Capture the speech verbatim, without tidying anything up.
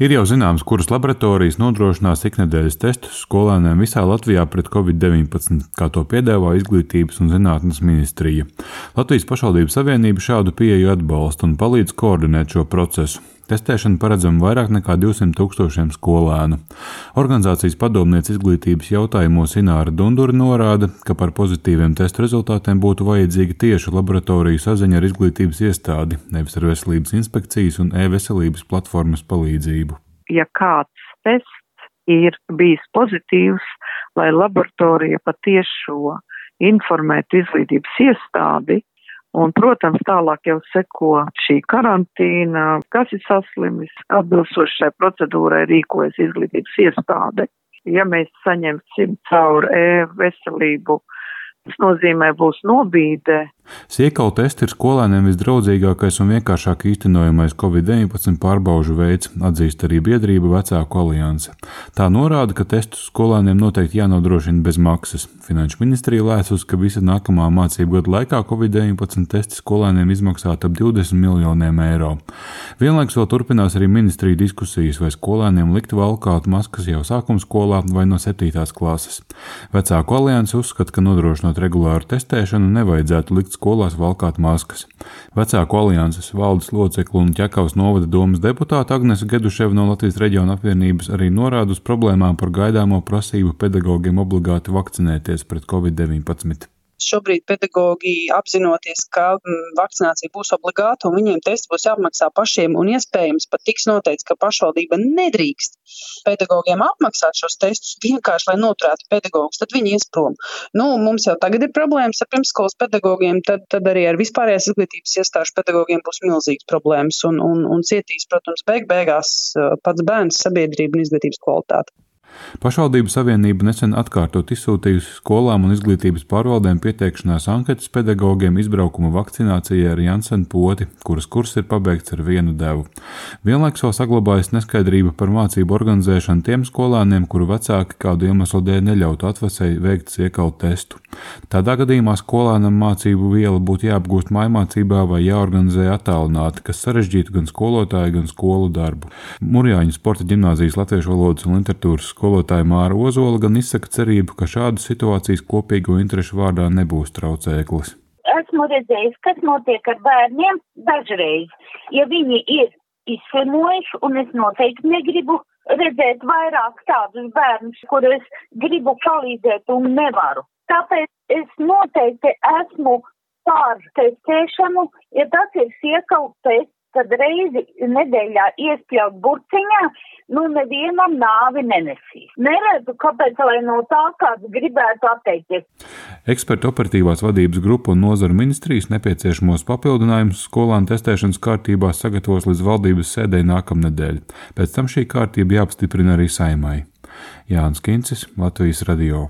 Ir jau zināms, kuras laboratorijas nodrošinās iknedēļas testus skolēniem visā Latvijā pret covid deviņpadsmit, kā to piedāvā Izglītības un zinātnes ministrija. Latvijas pašvaldību savienība šādu pieeju atbalsta un palīdz koordinēt šo procesu. Testēšana paredzama vairāk nekā divsimt tūkstošiem skolēnu. Organizācijas padomniece izglītības jautājumos Ināra Dundure norāda, ka par pozitīviem testu rezultātiem būtu vajadzīga tieša laboratoriju saziņa ar izglītības iestādi, nevis ar veselības inspekcijas un e-veselības platformas palīdzību. Ja kāds tests ir bijis pozitīvs, lai laboratorija patiešo informētu izglītības iestādi, un, protams, tālāk jau seko šī karantīna, kas ir saslimis, atbilstoši šai procedūrai rīkojas izglītības iestāde. Ja mēs saņemsim caur e-veselību, tas nozīmē būs nobīde. Siekalu testi ir skolēniem visdraudzīgākais un vienkāršāk īstenojamais covid deviņpadsmit pārbaužu veids, atzīst arī biedrība Vecāku alianse. Tā norāda, ka testus skolēniem noteikti jānodrošina bez maksas. Finanšu ministrija lēsus, ka visa nākamā mācību gada laikā covid deviņpadsmit testi skolēniem izmaksāt ap divdesmit miljoniem eiro. Vienlaikus vēl turpinās arī ministrija diskusijas, vai skolēniem likt valkāt maskas jau sākumskolā vai no septītās klases. Vecāku alianse uzskata, ka nodrošinot regulāru testēšanu nevajadzētu likt skolās valkāt maskas. Vecāku alianses valdes locekli un Ķekavas novada domes deputāta Agnese Geduševa no Latvijas reģiona apvienības arī norāda uz problēmām par gaidāmo prasību pedagogiem obligāti vakcinēties pret covid deviņpadsmit. Šobrīd pedagogi apzinoties, ka vakcinācija būs obligāta un viņiem testi būs jāapmaksā pašiem un iespējams pat tiks noteikts, ka pašvaldība nedrīkst pedagogiem apmaksāt šos testus vienkārši, lai noturētu pedagogus, tad viņi ies prom. Nu, mums jau tagad ir problēmas ar pirmsskolas pedagogiem, tad, tad arī ar vispārējās izglītības iestāžu pedagogiem būs milzīgas problēmas un, un, un cietīs, protams, beig beigās pats bērns, sabiedrība un izglītības kvalitāte. Pašvaldību savienība nesen atkārtot izsūtījusi skolām un izglītības pārvaldēm pieteikšanās anketas pedagogiem izbraukuma vakcinācijai ar Janssen poti, kuras kurs ir pabeigts ar vienu devu. Vienlaikus vēl saglabājas neskaidrība par mācību organizēšanu tiem skolēniem, kuru vecāki kādu iemeslu dēļ neļautu atvasei veikt siekalu testu. Tādā gadījumā skolēnam mācību viela būtu jāapgūst mājmācībā vai jāorganizē attālināti, kas sarežģītu gan skolotāju, gan skolu darbu. Murjāņu sporta ģimnāzijas latviešu valodas un literatūras skolotāja Māra Ozola gan izsaka cerību, ka šādas situācijas kopīgo interešu vārdā nebūs traucēklis. Esmu redzējis, kas notiek ar bērniem dažreiz. Ja viņi ir izslimojuši, un es noteikti negribu redzēt vairāk tādus bērnus, kurus gribu palīdzēt un nevaru. Tāpēc es noteikti esmu pār testēšanu, ja tas ir siekalu tests, tad reizi nedēļā iespļaut burciņā, nu nevienam nāvi nenesīs. Neredzu, kāpēc, lai no tā kāds gribētu atteikties. Ekspertu operatīvās vadības grupa un nozaru ministrijas nepieciešamos papildinājumus skolānu testēšanas kārtībā sagatavos līdz valdības sēdei nākamnedēļ. Pēc tam šī kārtība jāapstiprina arī Saeimai. Jānis Kincis, Latvijas radio.